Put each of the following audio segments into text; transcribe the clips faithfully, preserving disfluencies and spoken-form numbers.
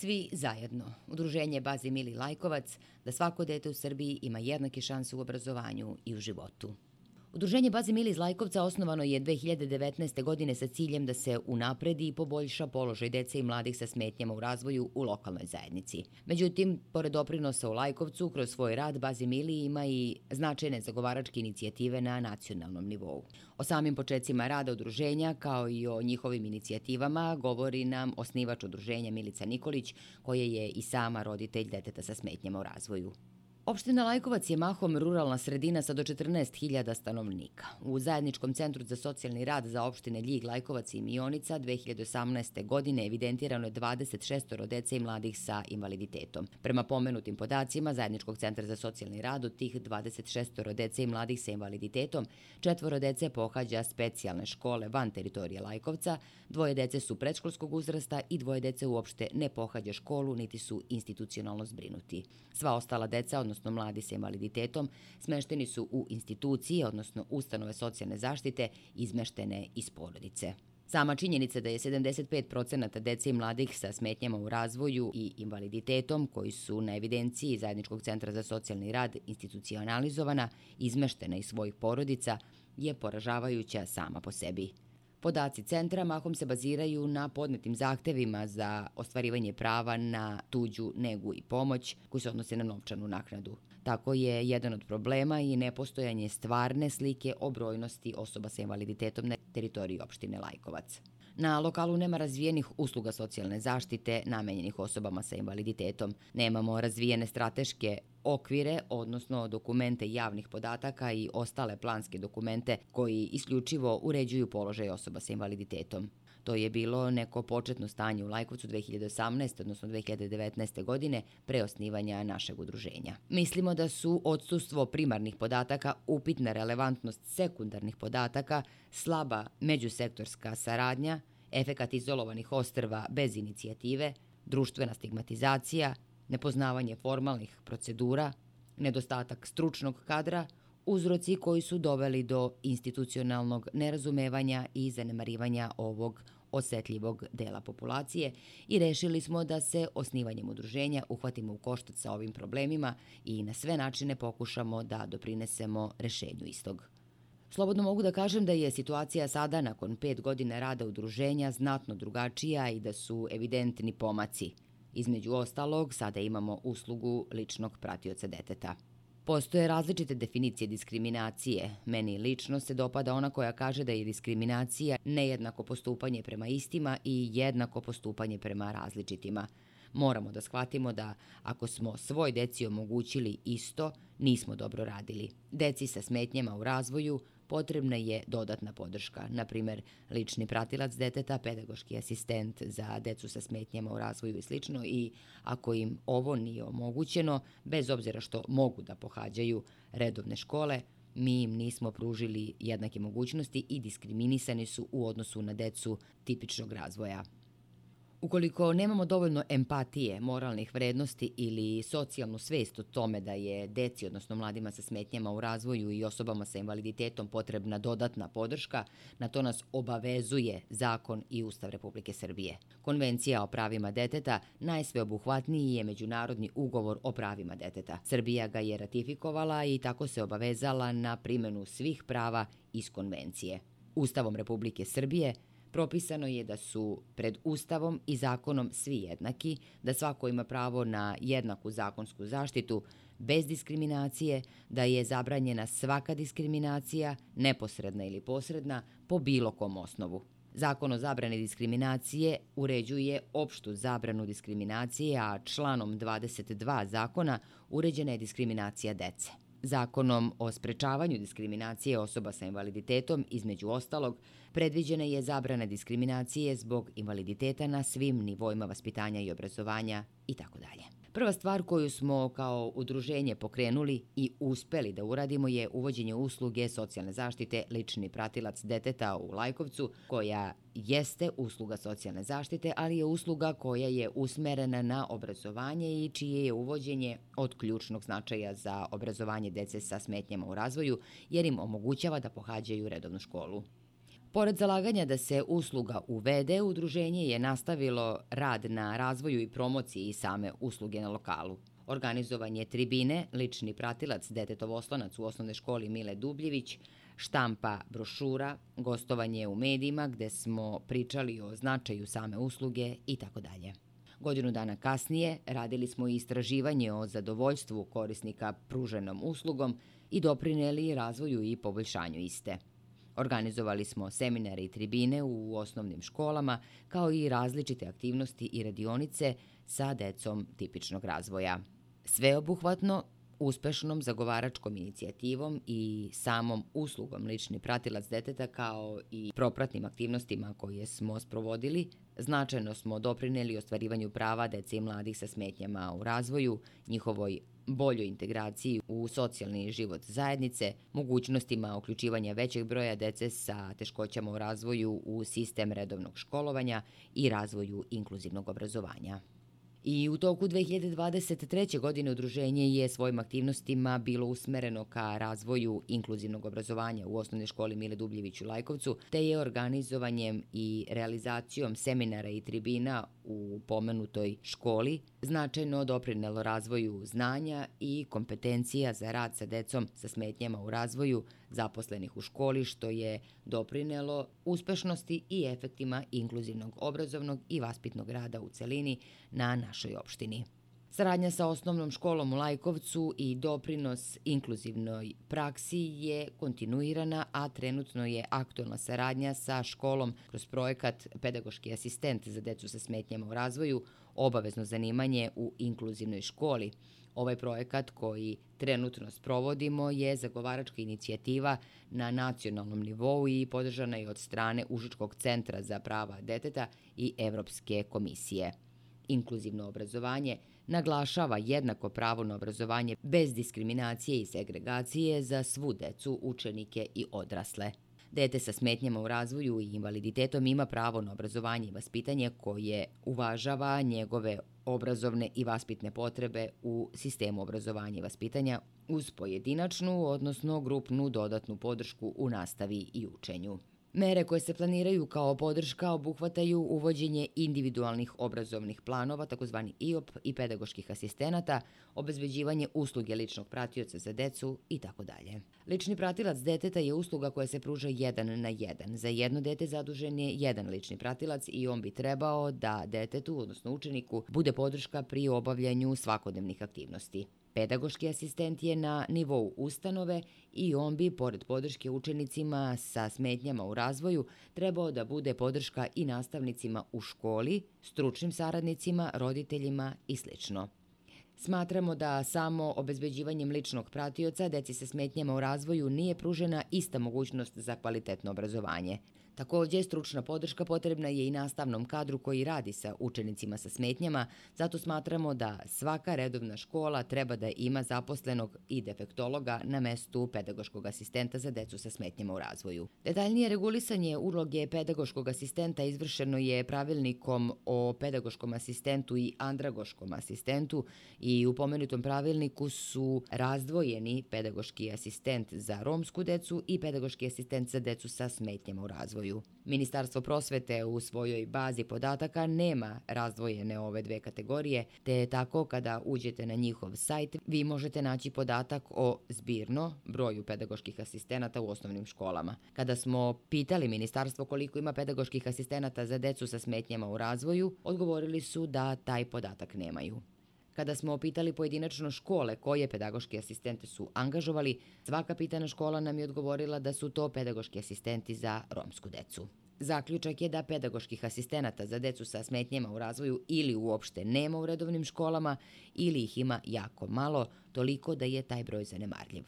Svi zajedno. Udruženje Bazi Mili Lajkovac da svako dete u Srbiji ima jednake šanse u obrazovanju i u životu. Udruženje Bazi Mili iz Lajkovca osnovano je dve hiljade devetnaeste. godine sa ciljem da se unapredi i poboljša položaj dece i mladih sa smetnjama u razvoju u lokalnoj zajednici. Međutim, pored doprinosa u Lajkovcu, kroz svoj rad Bazi Mili ima i značajne zagovaračke inicijative na nacionalnom nivou. O samim početcima rada udruženja, kao i o njihovim inicijativama, govori nam osnivač udruženja Milica Nikolić, koja je i sama roditelj deteta sa smetnjama u razvoju. Opština Lajkovac je mahom ruralna sredina sa do četrnaest hiljada stanovnika. U Zajedničkom centru za socijalni rad za opštine Ljig, Lajkovac i Mionica dve hiljade osamnaeste. godine evidentirano je dvadeset šest dece i mladih sa invaliditetom. Prema pomenutim podacima Zajedničkog centra za socijalni rad, od tih dvadeset šest dece i mladih sa invaliditetom, četvoro dece pohađa specijalne škole van teritorije Lajkovca, dvoje dece su predškolskog uzrasta i dvoje dece uopšte ne pohađa školu niti su institucionalno zbrinuti. Sva ostala deca, odnosno mladi sa invaliditetom, smešteni su u institucije, odnosno ustanove socijalne zaštite, izmeštene iz porodice. Sama činjenica da je sedamdeset pet procenata dece i mladih sa smetnjama u razvoju i invaliditetom, koji su na evidenciji Zajedničkog centra za socijalni rad institucionalizovana, izmeštena iz svojih porodica, je poražavajuća sama po sebi. Podaci centra mahom se baziraju na podnetim zahtevima za ostvarivanje prava na tuđu negu i pomoć koji se odnose na novčanu naknadu. Tako je jedan od problema i nepostojanje stvarne slike o brojnosti osoba sa invaliditetom na teritoriji opštine Lajkovac. Na lokalu nema razvijenih usluga socijalne zaštite namenjenih osobama sa invaliditetom. Nemamo razvijene strateške okvire, odnosno dokumente javnih podataka i ostale planske dokumente koji isključivo uređuju položaj osoba sa invaliditetom. To je bilo neko početno stanje u Lajkovcu dve hiljade osamnaeste. odnosno dve hiljade devetnaeste. godine pre osnivanja našeg udruženja. Mislimo da su odsustvo primarnih podataka, upitna relevantnost sekundarnih podataka, slaba međusektorska saradnja, efekat izolovanih ostrva bez inicijative, društvena stigmatizacija, nepoznavanje formalnih procedura, nedostatak stručnog kadra, uzroci koji su doveli do institucionalnog nerazumevanja i zanemarivanja ovog osetljivog dela populacije i rešili smo da se osnivanjem udruženja uhvatimo u koštac sa ovim problemima i na sve načine pokušamo da doprinesemo rešenju istog. Slobodno mogu da kažem da je situacija sada, nakon pet godina rada udruženja, znatno drugačija i da su evidentni pomaci. Između ostalog, sada imamo uslugu ličnog pratioca deteta. Postoje različite definicije diskriminacije. Meni lično se dopada ona koja kaže da je diskriminacija nejednako postupanje prema istima i jednako postupanje prema različitima. Moramo da shvatimo da ako smo svoj deci omogućili isto, nismo dobro radili. Deci sa smetnjama u razvoju potrebna je dodatna podrška, na primer lični pratilac deteta, pedagoški asistent za decu sa smetnjama u razvoju i slično, i ako im ovo nije omogućeno, bez obzira što mogu da pohađaju redovne škole, mi im nismo pružili jednake mogućnosti i diskriminisani su u odnosu na decu tipičnog razvoja. Ukoliko nemamo dovoljno empatije, moralnih vrednosti ili socijalnu svest o tome da je deci, odnosno mladima sa smetnjama u razvoju i osobama sa invaliditetom potrebna dodatna podrška, na to nas obavezuje zakon i Ustav Republike Srbije. Konvencija o pravima deteta najsveobuhvatniji je međunarodni ugovor o pravima deteta. Srbija ga je ratifikovala i tako se obavezala na primenu svih prava iz konvencije. Ustavom Republike Srbije propisano je da su pred Ustavom i zakonom svi jednaki, da svako ima pravo na jednaku zakonsku zaštitu bez diskriminacije, da je zabranjena svaka diskriminacija, neposredna ili posredna, po bilo kom osnovu. Zakon o zabrani diskriminacije uređuje opštu zabranu diskriminacije, a članom dvadeset dva zakona uređena je diskriminacija dece. Zakonom o sprečavanju diskriminacije osoba sa invaliditetom, između ostalog, predviđena je zabrana diskriminacije zbog invaliditeta na svim nivoima vaspitanja i obrazovanja itd. Prva stvar koju smo kao udruženje pokrenuli i uspeli da uradimo je uvođenje usluge socijalne zaštite lični pratilac deteta u Lajkovcu, koja jeste usluga socijalne zaštite, ali je usluga koja je usmerena na obrazovanje i čije je uvođenje od ključnog značaja za obrazovanje dece sa smetnjama u razvoju, jer im omogućava da pohađaju redovnu školu. Pored zalaganja da se usluga uvede, udruženje je nastavilo rad na razvoju i promociji same usluge na lokalu. Organizovan je tribine, lični pratilac, detetov oslonac u osnovnoj školi Mile Dubljević, štampa brošura, gostovanje u medijima gde smo pričali o značaju same usluge i tako dalje. Godinu dana kasnije radili smo i istraživanje o zadovoljstvu korisnika pruženom uslugom i doprineli razvoju i poboljšanju iste. Organizovali smo seminare i tribine u osnovnim školama, kao i različite aktivnosti i radionice sa decom tipičnog razvoja. Sveobuhvatno, uspešnom zagovaračkom inicijativom i samom uslugom lični pratilac deteta kao i propratnim aktivnostima koje smo sprovodili, značajno smo doprineli ostvarivanju prava dece i mladih sa smetnjama u razvoju, njihovoj boljoj integraciji u socijalni život zajednice, mogućnostima uključivanja većeg broja dece sa teškoćama u razvoju u sistem redovnog školovanja i razvoju inkluzivnog obrazovanja. I u toku dve hiljade dvadeset treće. godine udruženje je svojim aktivnostima bilo usmereno ka razvoju inkluzivnog obrazovanja u osnovnoj školi Mile Dubljević u Lajkovcu, te je organizovanjem i realizacijom seminara i tribina u pomenutoj školi značajno doprinelo razvoju znanja i kompetencija za rad sa decom sa smetnjama u razvoju zaposlenih u školi, što je doprinelo uspešnosti i efektima inkluzivnog obrazovnog i vaspitnog rada u celini na našoj opštini. Saradnja sa osnovnom školom u Lajkovcu i doprinos inkluzivnoj praksi je kontinuirana, a trenutno je aktuelna saradnja sa školom kroz projekat Pedagoški asistent za decu sa smetnjama u razvoju, obavezno zanimanje u inkluzivnoj školi. Ovaj projekat koji trenutno sprovodimo je zagovaračka inicijativa na nacionalnom nivou i podržana je od strane Užičkog centra za prava deteta i Evropske komisije. Inkluzivno obrazovanje naglašava jednako pravo na obrazovanje bez diskriminacije i segregacije za svu decu, učenike i odrasle. Dete sa smetnjama u razvoju i invaliditetom ima pravo na obrazovanje i vaspitanje koje uvažava njegove obrazovne i vaspitne potrebe u sistemu obrazovanja i vaspitanja uz pojedinačnu, odnosno grupnu dodatnu podršku u nastavi i učenju. Mere koje se planiraju kao podrška obuhvataju uvođenje individualnih obrazovnih planova, takozvani I O P, i pedagoških asistenata, obezbeđivanje usluge ličnog pratioca za decu i tako dalje. Lični pratilac deteta je usluga koja se pruža jedan na jedan. Za jedno dete zadužen je jedan lični pratilac i on bi trebao da detetu, odnosno učeniku, bude podrška pri obavljanju svakodnevnih aktivnosti. Pedagoški asistent je na nivou ustanove i on bi, pored podrške učenicima sa smetnjama u razvoju, trebao da bude podrška i nastavnicima u školi, stručnim saradnicima, roditeljima i sl. Smatramo da samo obezbeđivanjem ličnog pratioca deci sa smetnjama u razvoju nije pružena ista mogućnost za kvalitetno obrazovanje. Takođe, stručna podrška potrebna je i nastavnom kadru koji radi sa učenicima sa smetnjama, zato smatramo da svaka redovna škola treba da ima zaposlenog i defektologa na mestu pedagoškog asistenta za decu sa smetnjama u razvoju. Detaljnije regulisanje uloge pedagoškog asistenta izvršeno je pravilnikom o pedagoškom asistentu i andragoškom asistentu i u pomenutom pravilniku su razdvojeni pedagoški asistent za romsku decu i pedagoški asistent za decu sa smetnjama u razvoju. Ministarstvo prosvete u svojoj bazi podataka nema razdvojene ove dve kategorije, te tako kada uđete na njihov sajt, vi možete naći podatak o zbirno broju pedagoških asistenata u osnovnim školama. Kada smo pitali ministarstvo koliko ima pedagoških asistenata za decu sa smetnjama u razvoju, odgovorili su da taj podatak nemaju. Kada smo pitali pojedinačno škole koje pedagoški asistente su angažovali, svaka pitana škola nam je odgovorila da su to pedagoški asistenti za romsku decu. Zaključak je da pedagoških asistenata za decu sa smetnjama u razvoju ili uopšte nema u redovnim školama ili ih ima jako malo, toliko da je taj broj zanemarljiv.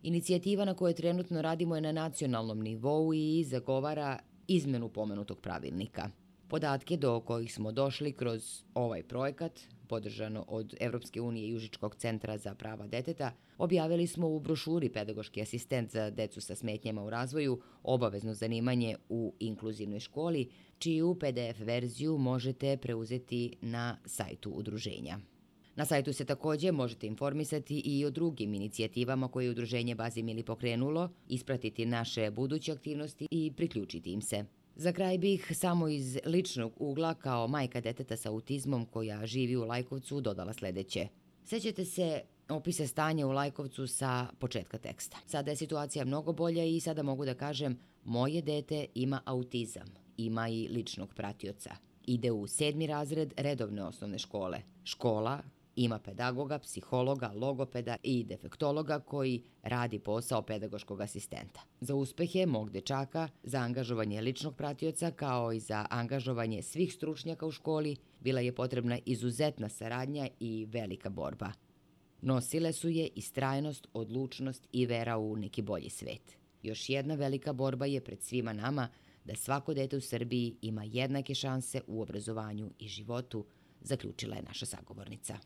Inicijativa na kojoj trenutno radimo je na nacionalnom nivou i zagovara izmenu pomenutog pravilnika. Podatke do kojih smo došli kroz ovaj projekat, podržano od Evropske unije i Užičkog centra za prava deteta, objavili smo u brošuri Pedagoški asistent za decu sa smetnjama u razvoju, obavezno zanimanje u inkluzivnoj školi, čiju P D F verziju možete preuzeti na sajtu udruženja. Na sajtu se takođe možete informisati i o drugim inicijativama koje je Udruženje Bazimili pokrenulo, ispratiti naše buduće aktivnosti i priključiti im se. Za kraj bih samo iz ličnog ugla kao majka deteta sa autizmom koja živi u Lajkovcu dodala sledeće. Sećate se opisa stanja u Lajkovcu sa početka teksta. Sada je situacija mnogo bolja i sada mogu da kažem moje dete ima autizam, ima i ličnog pratioca. Ide u sedmi razred redovne osnovne škole. Škola ima pedagoga, psihologa, logopeda i defektologa koji radi posao pedagoškog asistenta. Za uspehe mog dečaka, za angažovanje ličnog pratioca kao i za angažovanje svih stručnjaka u školi bila je potrebna izuzetna saradnja i velika borba. Nosile su je istrajnost, odlučnost i vera u neki bolji svet. Još jedna velika borba je pred svima nama da svako dete u Srbiji ima jednake šanse u obrazovanju i životu, zaključila je naša sagovornica.